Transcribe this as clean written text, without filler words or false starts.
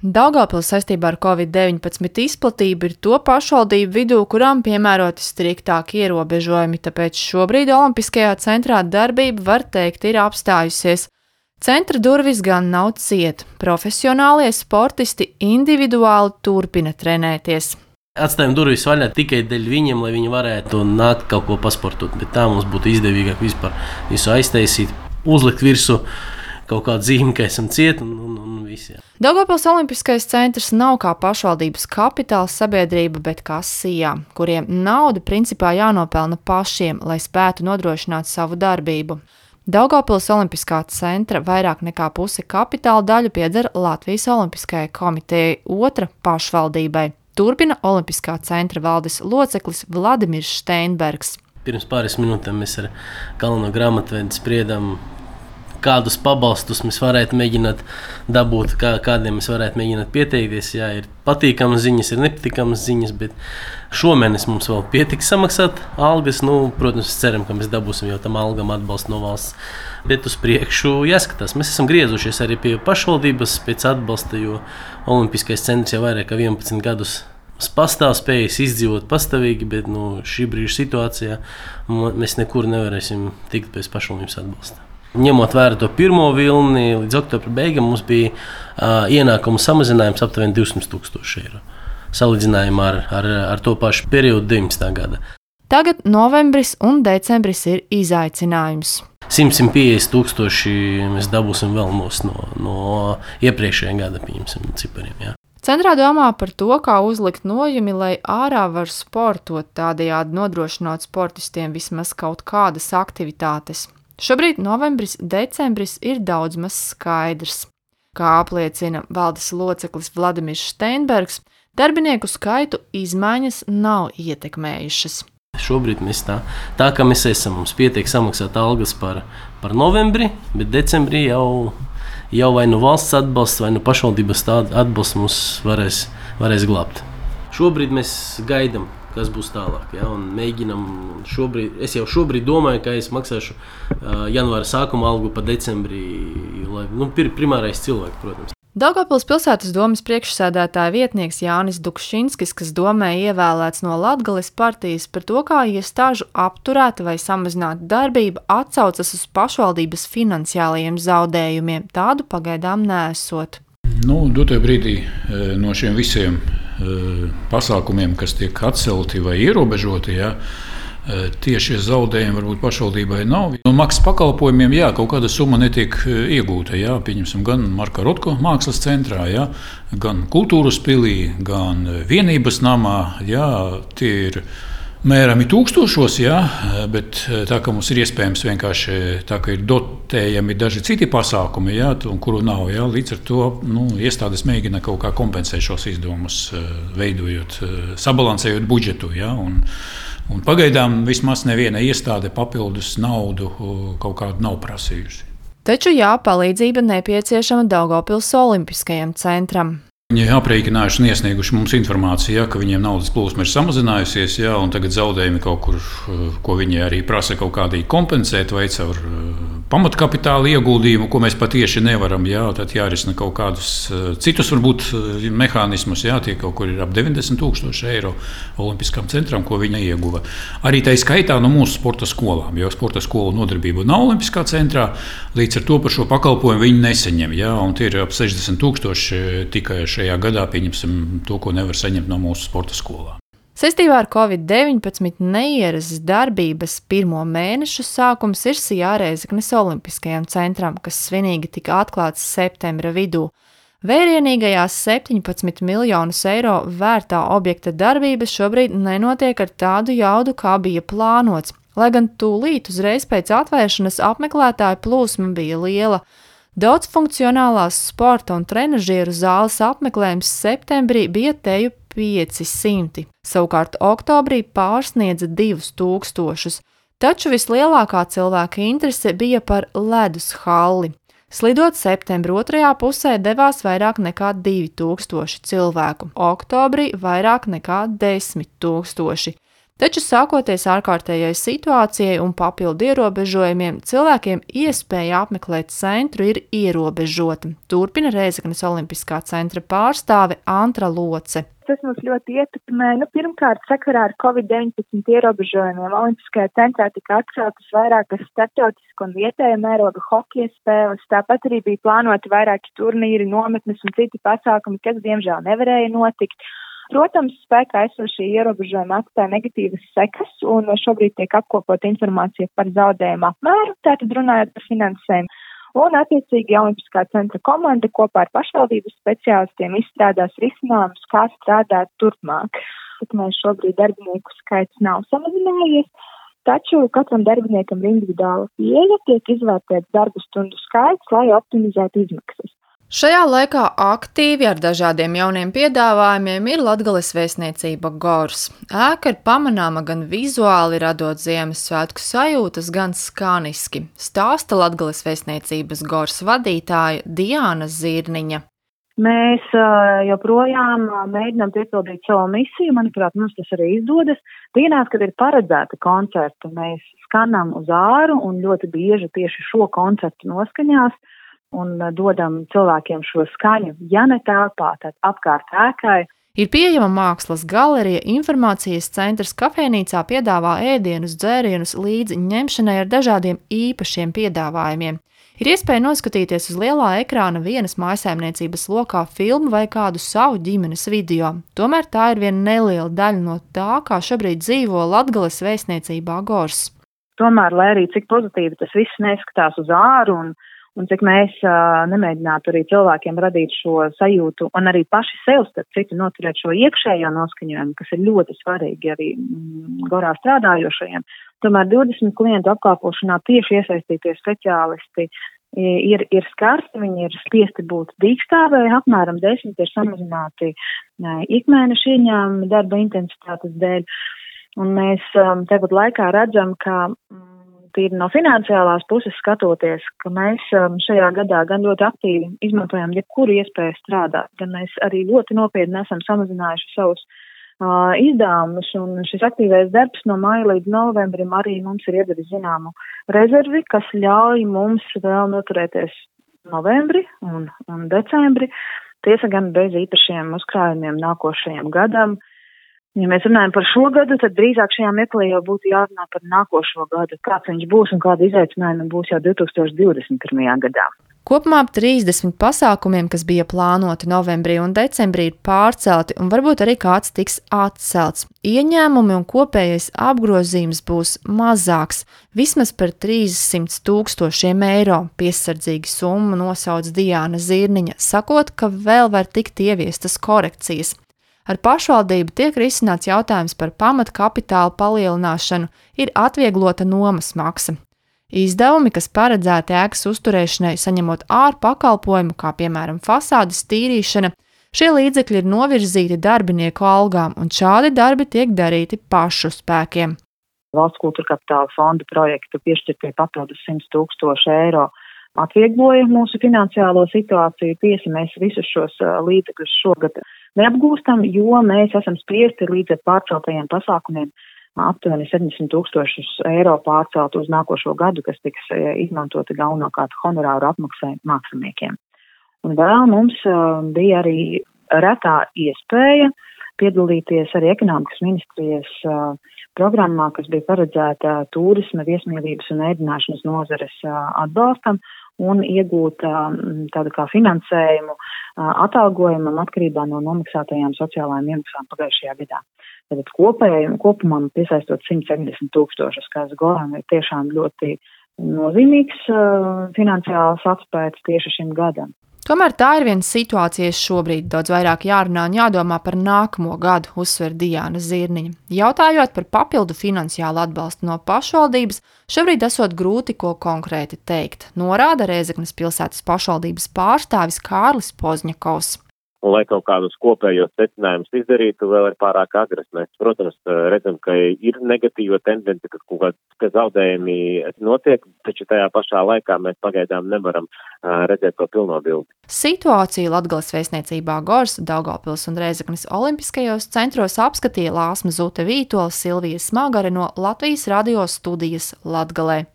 Daugavpils saistībā ar Covid-19 izplatību ir to pašvaldību vidū, kurām piemēroti striktāki ierobežojumi, tāpēc šobrīd Olimpiskajā centrā darbība, var teikt, ir apstājusies. Centra durvis gan nav ciet, profesionālie sportisti individuāli turpina trenēties. Atstājam durvis vaļā tikai dēļ viņiem, lai viņi varētu nākt kaut ko pasportot, bet tā mums būtu izdevīgāk vispār visu aiztaisīt, uzlikt virsū kaut kādu zīmi, ka esam cieti un visi. Daugavpils Olimpiskais centrs nav kā pašvaldības kapitāls sabiedrība, bet kā SIA, kuriem nauda principā jānopelna pašiem, lai spētu nodrošināt savu darbību. Daugavpils Olimpiskā centra vairāk nekā puse kapitāla daļu pieder Latvijas Olimpiskajai komitejai, otra pašvaldībai. Turpina Olimpiskā centra valdes loceklis Vladimirs Steinbergs. Pirms pāris minūtēm mēs ar galveno grāmatvedi spriedām, kādus pabalstus mēs varētu mēģināt dabūt, kādiem mēs varētu mēģināt pieteikties. Jā, ir patīkamas ziņas, ir nepatīkamas ziņas, bet šomēnes mums vēl pietiks samaksāt algas. Protams, ceram, ka mēs dabūsim jau tam algam atbalstu no valsts. Bet uz priekšu jāskatās. Mēs esam griezušies arī pie pašvaldības pēc atbalsta, jo Olimpiskais centrs jau vairāk kā 11 gadus pastāv spējas izdzīvot pastāvīgi, bet šī brīža situācijā mēs nekur nevarēsim tikt bez pašvaldības atbalsta. Ņemot vērā to pirmo vilni, līdz oktobra beigām mums bija ienākumu samazinājums aptuveni 200,000 eiro. Salīdzinājumā ar to pašu periodu 19. gada. Tagad novembris un decembris ir izaicinājums. 100–150,000 mēs dabūsim vēl no iepriekšējā gada cipariem. Jā. Centrā domā par to, kā uzlikt nojumi, lai ārā var sportot, tādējādi nodrošinot sportistiem vismaz kaut kādas aktivitātes. Šobrīd novembris, decembris ir daudz maz skaidrs. Kā apliecina valdes loceklis Vladimirs Steinbergs, darbinieku skaitu izmaiņas nav ietekmējušas. Šobrīd mēs tā kā mēs esam, mums pietiek samaksāt algas par novembri, bet decembrī jau vai nu valsts atbalsts, vai nu pašvaldības atbalsts mums varēs glābt. Šobrīd mēs gaidām, kas būs tālāk, ja, un mēģinam es jau šobrīd domāju, ka es maksāšu janvāra sākuma algu pa decembrī, lai, primārais cilvēks, protams. Daugavpils pilsētas domes priekšsēdētāja vietnieks Jānis Dukšinskis, kas domē ievēlēts no Latgales partijas, par to, kā iestāžu apturēta vai samazināta darbība atsaucas uz pašvaldības finansiālajiem zaudējumiem, tādu pagaidām neesot. Dotajā brīdī no šiem visiem pasākumiem, kas tiek atcelti vai ierobežoti, tieši zaudējumi varbūt pašvaldībai nav. Maksas pakalpojumiem kaut kāda summa netiek iegūta. Pieņemsim gan Marka Rotko mākslas centrā, gan kultūras pilī, gan vienības namā. Tie ir mērami tūkstošos, bet tā kā mums ir iespējams vienkārši tā, ka ir dotējami daži citi pasākumi, kuru nav, līdz ar to iestādes mēģina kaut kā kompensēt šos izdevumus, veidojot, sabalansējot budžetu, un pagaidām vismaz neviena iestāde papildus naudu kaut kādu nav prasījusi. Taču palīdzība nepieciešama Daugavpils Olimpiskajam centram. Viņi ir aprēķinājuši un iesnieguši mums informāciju, ka viņiem naudas plūsma ir samazinājusies, un tagad zaudējumi kaut kur, ko viņi arī prasa kaut kādīgi kompensēt, vai caur pamatkapitāla ieguldījumu, ko mēs patieši nevaram. Tad jārisina kaut kādus citus varbūt mehānismus. Tie kaut kur ir ap 90,000 eiro Olimpiskam centram, ko viņi ieguva. Arī tā skaitā no mūsu sporta skolām, jo sporta skolu nodarbība nav Olimpiskā centrā, līdz ar to par šo pakalpojumu viņi nesaņem. Un tie ir ap 60,000 tikai šajā gadā, pieņemsim to, ko nevar saņemt no mūsu sporta skolām. Saistībā ar Covid-19 neierastas darbības pirmo mēnešu sākums ir SIA Rēzeknes Olimpiskajam centram, kas svinīgi tika atklāts septembra vidū. Vērienīgajās 17 miljonus eiro vērtā objekta darbības šobrīd nenotiek ar tādu jaudu, kā bija plānots, lai gan tūlīt uzreiz pēc atvēršanas apmeklētāju plūsma bija liela. Daudzfunkcionālās sporta un trenažieru zāles apmeklējums septembrī bija teju 500, savukārt oktobrī pārsniedza 2000, taču vislielākā cilvēka interese bija par ledus halli. Slidot septembra otrajā pusē devās vairāk nekā 2000 cilvēku, oktobrī vairāk nekā 10 000. Taču sākoties ārkārtējai situācijai un papildu ierobežojumiem, cilvēkiem iespēja apmeklēt centru ir ierobežota. Turpina Rēzeknes Olimpiskā centra pārstāve Antra Loce. Tas mums ļoti ietekmē. Pirmkārt, sakarā ar Covid-19 ierobežojumiem Olimpiskajā centrā tika atceltas vairākas starptautisku un vietēja mēroga hokeja spēles. Tāpat arī bija plānoti vairāki turnīri, nometnes un citi pasākumi, kas diemžēl nevarēja notikt. Protams, spēkā esošie ierobežojumi atstāja negatīvas sekas, un šobrīd tiek apkopota informācija par zaudējumu apmēru, tātad runājot par finansējumu. Un, attiecīgi, Olimpiskā centra komanda kopā ar pašvaldības speciālistiem izstrādās risinājumus, kā strādāt turpmāk. Mēs šobrīd darbinieku skaits nav samazinājies, taču katram darbiniekam ir individuāla pieeja, tiek izvērtēts darbu stundu skaits, lai optimizētu izmaksas. Šajā laikā aktīvi ar dažādiem jauniem piedāvājumiem ir Latgales vēstniecība Gors. Ēka ir pamanāma gan vizuāli radot Ziemassvētku sajūtas, gan skaniski, stāsta Latgales vēstniecības Gors vadītāja Diana Zirniņa. Mēs joprojām mēģinām piepildīt savu misiju, manuprāt, mums tas arī izdodas. Dienās, kad ir paredzēta koncerta, mēs skanam uz āru un ļoti bieži tieši šo koncertu noskaņās un dodam cilvēkiem šo skaņu, ja ne telpā, tad apkārt ēkai. Ir pieejama mākslas galerija, informācijas centrs, kafejnīcā piedāvā ēdienus, dzērienus līdzi ņemšanai ar dažādiem īpašiem piedāvājumiem. Ir iespēja noskatīties uz lielā ekrāna vienas mājsaimniecības lokā filmu vai kādu savu ģimenes video. Tomēr tā ir viena neliela daļa no tā, kā šobrīd dzīvo Latgales vēstniecībā Gors. Tomēr, lai arī cik pozitīvi tas viss neskatās uz āru un cik mēs nemēģinātu arī cilvēkiem radīt šo sajūtu un arī paši sev starp citu noturēt šo iekšējo noskaņojumu, kas ir ļoti svarīgi arī Gorā strādājošajiem. Tomēr 20 klientu apkalpošanā tieši iesaistītie speciālisti ir skarti, viņi ir spiesti būt dīkstāvē, apmēram 10 ir samazināti ikmēneša ieņēmumi darba intensitātes dēļ. Un mēs tagad laikā redzam, ka tīri no finansiālās puses skatoties, ka mēs šajā gadā gan ļoti aktīvi izmantojam jebkuru iespēju strādāt, gan mēs arī ļoti nopietni esam samazinājuši savus izdevumus, un šis aktīvais darbs no māja līdz novembrim arī mums ir iedevis zināmu rezervi, kas ļauj mums vēl noturēties novembri un decembri, tiesa gan bez īpašiem uzkrājumiem nākošajam gadam. Ja mēs runājam par šo gadu, tad drīzāk šajā meklē jau būtu jārunā par nākošo gadu, kāds viņš būs un kāda izaicinājuma būs jau 2021. gadā. Kopumā ap 30 pasākumiem, kas bija plānoti novembrī un decembrī, ir pārcelti un varbūt arī kāds tiks atcelts. Ieņēmumi un kopējais apgrozījums būs mazāks, vismaz par 300 000 eiro, piesardzīgi summu nosauc Diana Zirniņa, sakot, ka vēl var tikt ieviestas korekcijas. Ar pašvaldību tiek risināts jautājums par pamatkapitāla palielināšanu, ir atvieglota nomas maksa. Izdevumi, kas paredzēti ēkas uzturēšanai, saņemot ārpakalpojumu, kā piemēram fasādes tīrīšana, šie līdzekļi ir novirzīti darbinieku algām, un šādi darbi tiek darīti pašu spēkiem. Valsts kultūra kapitāla fonda projektu piešķirtie papildus 100 000 eiro atviegloja mūsu finansiālo situāciju. Tiesa, mēs visus šos līdzekļus šogad neapgūstam, jo mēs esam spiesti līdz ar pārceltajiem pasākumiem aptuveni 70 000 eiro pārcelt uz nākošo gadu, kas tiks izmantoti galvenokārt honorāru apmaksai māksliniekiem. Un vēl mums bija arī retā iespēja piedalīties arī ekonomikas ministrijas programmā, kas bija paredzēta turisma, viesmīlības un ēdināšanas nozares atbalstam un iegūt tādu kā finansējumu atalgojumam atkarībā no nomaksātajām sociālajām iemaksām pagājušajā gadā. Tātad kopumā piesaistot 170 000, kas Goram ir tiešām ļoti nozīmīgs finansiāls atspējas tieši šim gadam. Tomēr tā ir viena situācija šobrīd, daudz vairāk jārunā un jādomā par nākamo gadu, uzsver Diana Zirniņa. Jautājot par papildu finansiālu atbalstu no pašvaldības, šobrīd esot grūti ko konkrēti teikt, norāda Rēzeknes pilsētas pašvaldības pārstāvis Kārlis Pozņakovs. un lai kaut kādus kopējos secinājumus izdarītu, vēl ir pārāk agras. Mēs, protams, redzam, ka ir negatīva tendence, ka zaudējumi notiek, taču tajā pašā laikā mēs pagaidām nevaram redzēt to pilno bildi. Situāciju Latgales vēstniecībā Gors, Daugavpils un Rēzeknes olimpiskajos centros apskatīja Lāsma Zute Vītola, Silvija Smagare no Latvijas radio studijas Latgalē.